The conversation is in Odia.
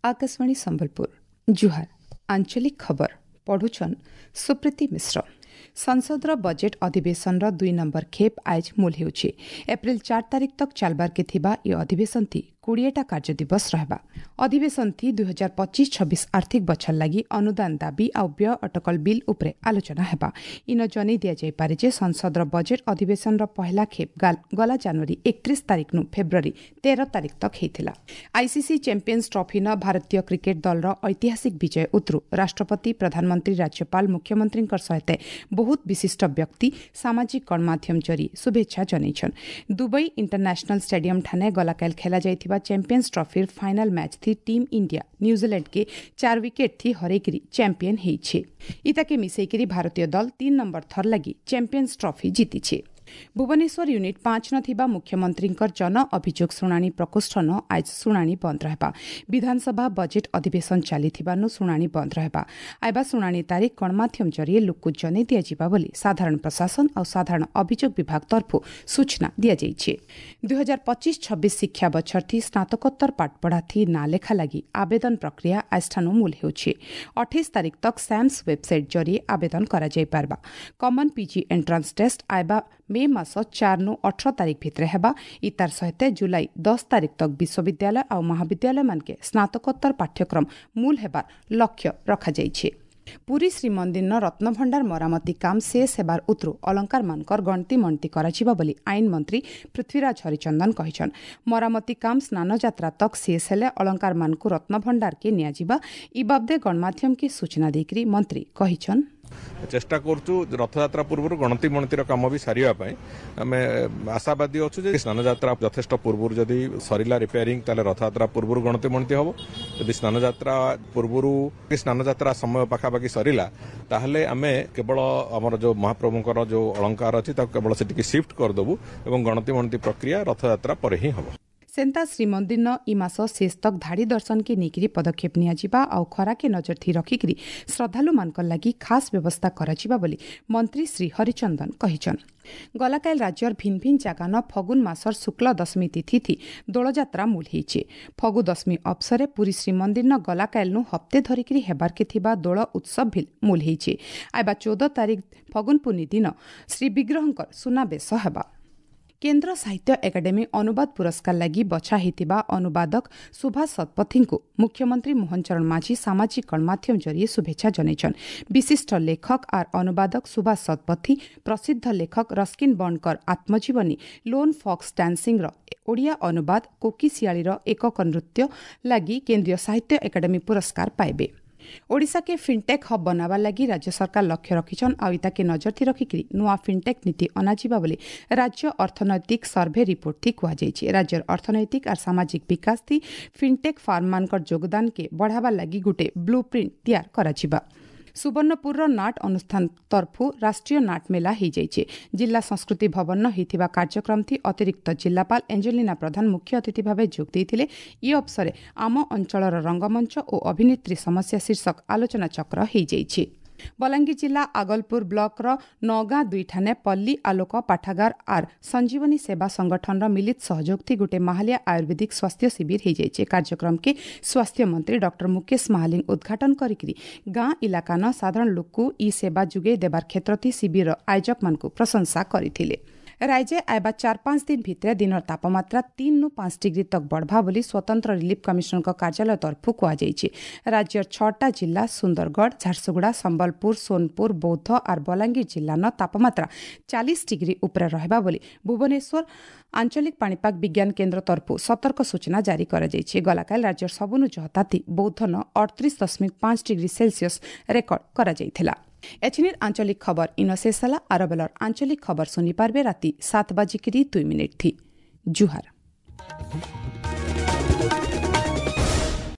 ଆକାଶବାଣୀ ସମ୍ବଲପୁର। ଜୁହାର। ଆଞ୍ଚଳିକ ଖବର ପଢୁଛନ୍ ସୁପ୍ରୀତି ମିଶ୍ର। ସଂସଦର ବଜେଟ୍ ଅଧିବେଶନର 2 ନମ୍ବର ଖେପ୍ ଆଏଜ୍ ମୂଲ ହେଉଛି। ଏପ୍ରିଲ 4 ତାରିଖ ତକ୍ ଚାଲବାର୍କେ ଥିବା ଏ ଅଧିବେଶନଥି 20ଟା କାର୍ଯ୍ୟ ଦିବସ ରହିବା। ଅଧିବେଶନଥି 2025-26 ଆର୍ଥିକ ବଛର ଲାଗି ଅନୁଦାନ ଦାବି ଆଉ ବ୍ୟୟ ଅଟକଳ ବିଲ୍ ଉପରେ ଆଲୋଚନା ହେବା। ଇନ ଜନେଇ ଦିଆଯାଇପାରେ ଯେ ସଂସଦର ବଜେଟ୍ ଅଧିବେଶନର ପହଲା ଖେପ୍ ଗଲା ଜାନୁଆରୀ 31 ତାରିଖନୁ ଫେବୃଆରୀ 13 ତାରିଖ ତକ୍ ହେଇଥିଲା। ଆଇସିସି ଚାମ୍ପିୟନ୍ସ ଟ୍ରଫିନ ଭାରତୀୟ କ୍ରିକେଟ ଦଳର ଐତିହାସିକ ବିଜୟ ଉତରୁ ରାଷ୍ଟ୍ରପତି, ପ୍ରଧାନମନ୍ତ୍ରୀ, ରାଜ୍ୟପାଳ, ମୁଖ୍ୟମନ୍ତ୍ରୀଙ୍କ ସହିତ ବହୁତ ବିଶିଷ୍ଟ ବ୍ୟକ୍ତି ସାମାଜିକ ଗଣମାଧ୍ୟମ ଜରିଏ ଶୁଭେଚ୍ଛା ଜଣାଇଛନ୍। ଦୁବାଇ ଇଣ୍ଟରନ୍ୟାସନାଲ ଷ୍ଟାଡିୟମ ଠାନେ ଗଲାକାଲ ଖେଳାଯାଇଥିବା ଚାମ୍ପିୟନ୍ସ ଟ୍ରଫିର ଫାଇନାଲ ମ୍ୟାଚ୍ ଥି ଟିମ୍ ଇଣ୍ଡିଆ ନ୍ୟୁଜିଲାଣ୍ଡକେ 4 ୱିକେଟ୍ ଥି ହରେଇକରି ଚାମ୍ପିୟନ ହେଇଛି। ଇତାକେ ମିଶେଇକରି ଭାରତୀୟ ଦଳ 3 ନମ୍ବର ଥର ଲାଗି ଚାମ୍ପିୟନ୍ସ ଟ୍ରଫି ଜିତିଛି। ଭୁବନେଶ୍ୱର ୟୁନିଟ୍ 5 ନ ଥିବା ମୁଖ୍ୟମନ୍ତ୍ରୀଙ୍କର ଜନ ଅଭିଯୋଗ ଶୁଣାଣି ପ୍ରକୋଷ୍ଠନ ଆଜ ଶୁଣାଣି ବନ୍ଦ ରହିବା। ବିଧାନସଭା ବଜେଟ୍ ଅଧିବେଶନ ଚାଲିଥିବାରୁ ଶୁଣାଣି ବନ୍ଦ ରହିବା। ଆଇବା ଶୁଣାଣି ତାରିଖ ଗଣମାଧ୍ୟମ ଜରିଏ ଲୋକକୁ ଜଣାଇ ଦିଆଯିବା ବୋଲି ସାଧାରଣ ପ୍ରଶାସନ ଆଉ ସାଧାରଣ ଅଭିଯୋଗ ବିଭାଗ ତରଫରୁ ସୂଚନା ଦିଆଯାଇଛି। 2025-26 ଶିକ୍ଷା ବଛରଥି ସ୍ନାତକୋତ୍ତର ପାଠପଢ଼ାଥି ନାଁ ଲେଖା ଲାଗି ଆବେଦନ ପ୍ରକ୍ରିୟା ଆଜଠାନୁ ମୂଲ ହେଉଛି। 28 ତାରିଖ ତକ୍ ସ୍ୟାମ୍ସ ୱେବସାଇଟ୍ ଜରିଏ ଆବେଦନ କରାଯାଇପାରବା। କମନ୍ ପିଜି ଏଣ୍ଟ୍ରାନ୍ସ ଟେଷ୍ଟ ଆଇବା ମେ ମାସ 4 ନୁ 18 ତାରିଖ ଭିତରେ ହେବା। ଇତାର ସହିତ ଜୁଲାଇ 10 ତାରିଖ ତକ୍ ବିଶ୍ୱବିଦ୍ୟାଳୟ ଆଉ ମହାବିଦ୍ୟାଳୟମାନକେ ସ୍ନାତକୋତ୍ତର ପାଠ୍ୟକ୍ରମ ମୂଲ ହେବାର ଲକ୍ଷ୍ୟ ରଖାଯାଇଛି। ପୁରୀ ଶ୍ରୀମନ୍ଦିରର ରତ୍ନଭଣ୍ଡାର ମରାମତି କାମ ଶେଷ ହେବାର ଉତରୁ ଅଳଙ୍କାରମାନଙ୍କର ଗଣତି ମଣତି କରାଯିବ ବୋଲି ଆଇନ ମନ୍ତ୍ରୀ ପୃଥ୍ୱୀରାଜ ହରିଚନ୍ଦନ କହିଛନ୍। ମରାମତି କାମ ସ୍ନାନଯାତ୍ରା ତକ୍ ଶେଷ ହେଲେ ଅଳଙ୍କାରମାନଙ୍କୁ ରତ୍ନଭଣ୍ଡାରକେ ନିଆଯିବା। ଇ ବାବଦେ ଗଣମାଧ୍ୟମକେ ସୂଚନା ଦେଇକରି ମନ୍ତ୍ରୀ କହିଛନ୍, ଚେଷ୍ଟା କରୁଛୁ ରଥଯାତ୍ରା ପୂର୍ବରୁ ଗଣତି ମଣତିର କାମ ବି ସାରିବା ପାଇଁ। ଆମେ ଆଶାବାଦୀ ଅଛୁ ଯେ ସ୍ନାନଯାତ୍ରା ଯଥେଷ୍ଟ ପୂର୍ବରୁ ଯଦି ସରିଲା ରିପେୟାରିଂ, ତାହେଲେ ରଥଯାତ୍ରା ପୂର୍ବରୁ ଗଣତି ମଣତି ହେବ। ଯଦି ସ୍ନାନଯାତ୍ରା ପୂର୍ବରୁ, ସ୍ନାନଯାତ୍ରା ସମୟ ପାଖାପାଖି ସରିଲା, ତାହେଲେ ଆମେ କେବଳ ଆମର ଯେଉଁ ମହାପ୍ରଭୁଙ୍କର ଯେଉଁ ଅଳଙ୍କାର ଅଛି ତାକୁ କେବଳ ସେଠିକି ସିଫ୍ଟ କରିଦେବୁ ଏବଂ ଗଣତି ମଣତି ପ୍ରକ୍ରିୟା ରଥଯାତ୍ରା ପରେ ହିଁ ହେବ। ସେନ୍ତା ଶ୍ରୀମନ୍ଦିରନ ଇ ମାସ ଶେଷ ତକ୍ ଧାଡ଼ି ଦର୍ଶନକେ ନେଇକରି ପଦକ୍ଷେପ ନିଆଯିବା ଆଉ ଖରାକେ ନଜର ଥି ରଖିକରି ଶ୍ରଦ୍ଧାଳୁମାନଙ୍କର ଲାଗି ଖାସ୍ ବ୍ୟବସ୍ଥା କରାଯିବା ବୋଲି ମନ୍ତ୍ରୀ ଶ୍ରୀ ହରିଚନ୍ଦନ କହିଛନ୍। ଗଲାକାଲ ରାଜ୍ୟର ଭିନ୍ ଭିନ୍ ଜାଗାନ ଫଗୁନ ମାସର ଶୁକ୍ଳ ଦଶମୀ ତିଥି ଦୋଳଯାତ୍ରା ମୂଲ ହେଇଛି। ଫଗୁ ଦଶମୀ ଅବସରେ ପୁରୀ ଶ୍ରୀମନ୍ଦିରନ ଗଲାକାଲନୁ ହପ୍ତେ ଧରିକିରି ହେବାର୍କେ ଥିବା ଦୋଳ ଉତ୍ସବ ଭିଲ୍ ମୂଲ ହେଇଛି। ଆଇବା 14 ତାରିଖ ଫଗୁନ ପୂର୍ଣ୍ଣି ଦିନ ଶ୍ରୀ ବିଗ୍ରହଙ୍କର ସୁନାବେଶ ହେବା। କେନ୍ଦ୍ର ସାହିତ୍ୟ ଏକାଡେମୀ ଅନୁବାଦ ପୁରସ୍କାର ଲାଗି ବଛା ହୋଇଥିବା ଅନୁବାଦକ ସୁଭାଷ ଶତପଥୀଙ୍କୁ ମୁଖ୍ୟମନ୍ତ୍ରୀ ମୋହନ ଚରଣ ମାଝୀ ସାମାଜିକ ଗଣମାଧ୍ୟମ ଜରିଏ ଶୁଭେଚ୍ଛା ଜଣାଇଛନ୍। ବିଶିଷ୍ଟ ଲେଖକ ଆର୍ ଅନୁବାଦକ ସୁଭାଷ ଶତପଥୀ ପ୍ରସିଦ୍ଧ ଲେଖକ ରସ୍କିନ୍ ବଣ୍ଡଙ୍କର ଆତ୍ମଜୀବନୀ ଲୋନ୍ ଫକ୍ସ ଡାନ୍ସିଂର ଓଡ଼ିଆ ଅନୁବାଦ କୋକିଶିଆଳିର ଏକକ ନୃତ୍ୟ ଲାଗି କେନ୍ଦ୍ରୀୟ ସାହିତ୍ୟ ଏକାଡେମୀ ପୁରସ୍କାର ପାଇବେ। ଓଡ଼ିଶାକେ ଫିନ୍ଟେକ୍ ହବ୍ ବନାବାର ଲାଗି ରାଜ୍ୟ ସରକାର ଲକ୍ଷ୍ୟ ରଖିଛନ୍ ଆଉ ଇତାକେ ନଜରଥି ରଖିକିରି ନୂଆ ଫିନ୍ଟେକ୍ ନୀତି ଅଣାଯିବା ବୋଲି ରାଜ୍ୟ ଅର୍ଥନୈତିକ ସର୍ଭେ ରିପୋର୍ଟଥି କୁହାଯାଇଛି। ରାଜ୍ୟର ଅର୍ଥନୈତିକ ଆର୍ ସାମାଜିକ ବିକାଶ ଥି ଫିନ୍ଟେକ୍ ଫାର୍ମମାନଙ୍କର ଯୋଗଦାନକେ ବଢ଼ାବାର ଲାଗି ଗୁଟେ ବ୍ଲୁ ପ୍ରିଣ୍ଟ ତିଆର କରାଯିବା। ସୁବର୍ଣ୍ଣପୁରର ନାଟ ଅନୁଷ୍ଠାନ ତରଫରୁ ରାଷ୍ଟ୍ରୀୟ ନାଟ ମେଳା ହୋଇଯାଇଛି। ଜିଲ୍ଲା ସଂସ୍କୃତି ଭବନ ହୋଇଥିବା କାର୍ଯ୍ୟକ୍ରମଥି ଅତିରିକ୍ତ ଜିଲ୍ଲାପାଳ ଏଞ୍ଜେଲିନା ପ୍ରଧାନ ମୁଖ୍ୟ ଅତିଥି ଭାବେ ଯୋଗ ଦେଇଥିଲେ। ଇ ଅବସରେ ଆମ ଅଞ୍ଚଳର ରଙ୍ଗମଞ୍ଚ ଓ ଅଭିନେତ୍ରୀ ସମସ୍ୟା ଶୀର୍ଷକ ଆଲୋଚନାଚକ୍ର ହୋଇଯାଇଛି। ବଲାଙ୍ଗୀର ଜିଲ୍ଲା ଆଗଲପୁର ବ୍ଲକର ନଗାଁ ଦୁଇଠାନେ ପଲ୍ଲୀ ଆଲୋକ ପାଠାଗାର ଆର୍ ସଞ୍ଜୀବନୀ ସେବା ସଂଗଠନର ମିଳିତ ସହଯୋଗଥି ଗୋଟେ ମାହାଲିଆ ଆୟୁର୍ବେଦିକ ସ୍ୱାସ୍ଥ୍ୟ ଶିବିର ହୋଇଯାଇଛି। କାର୍ଯ୍ୟକ୍ରମକେ ସ୍ୱାସ୍ଥ୍ୟ ମନ୍ତ୍ରୀ ଡକ୍ଟର ମୁକେଶ ମହାଲିଙ୍ଗ ଉଦ୍ଘାଟନ କରିକିରି ଗାଁ ଇଲାକାନ ସାଧାରଣ ଲୋକକୁ ଇ ସେବା ଯୋଗାଇ ଦେବାର କ୍ଷେତ୍ରଥି ଶିବିରର ଆୟୋଜକମାନଙ୍କୁ ପ୍ରଶଂସା କରିଥିଲେ। ରାଜ୍ୟ ଆଇବା 4-5 ଦିନ ଭିତରେ ଦିନର ତାପମାତ୍ରା 3ରୁ 5 ଡିଗ୍ରୀ ତକ୍ ବଢ଼ବା ବୋଲି ସ୍ୱତନ୍ତ୍ର ରିଲିଫ୍ କମିଶନରଙ୍କ କାର୍ଯ୍ୟାଳୟ ତରଫରୁ କୁହାଯାଇଛି। ରାଜ୍ୟର 6ଟା ଜିଲ୍ଲା ସୁନ୍ଦରଗଡ଼, ଝାରସୁଗୁଡ଼ା, ସମ୍ବଲପୁର, ସୋନପୁର, ବୌଦ୍ଧ ଆର୍ ବଲାଙ୍ଗୀର ଜିଲ୍ଲାର ତାପମାତ୍ରା 40 ଡିଗ୍ରୀ ଉପରେ ରହିବା ବୋଲି ଭୁବନେଶ୍ୱର ଆଞ୍ଚଳିକ ପାଣିପାଗ ବିଜ୍ଞାନ କେନ୍ଦ୍ର ତରଫରୁ ସତର୍କ ସୂଚନା ଜାରି କରାଯାଇଛି। ଗଲାକାଲି ରାଜ୍ୟର ସବୁନୁ ଜହତାତି ବୌଦ୍ଧନ 38.5 ଡିଗ୍ରୀ ସେଲସିୟସ୍ ରେକର୍ଡ କରାଯାଇଥିଲା। ଏଛିନିର ଆଞ୍ଚଳିକ ଖବର ଇନ ଶେଷ ହେଲା। ଆରବେଲର ଆଞ୍ଚଳିକ ଖବର ଶୁଣିପାରିବେ ରାତି 7:02 ଥି। ଜୁହାର।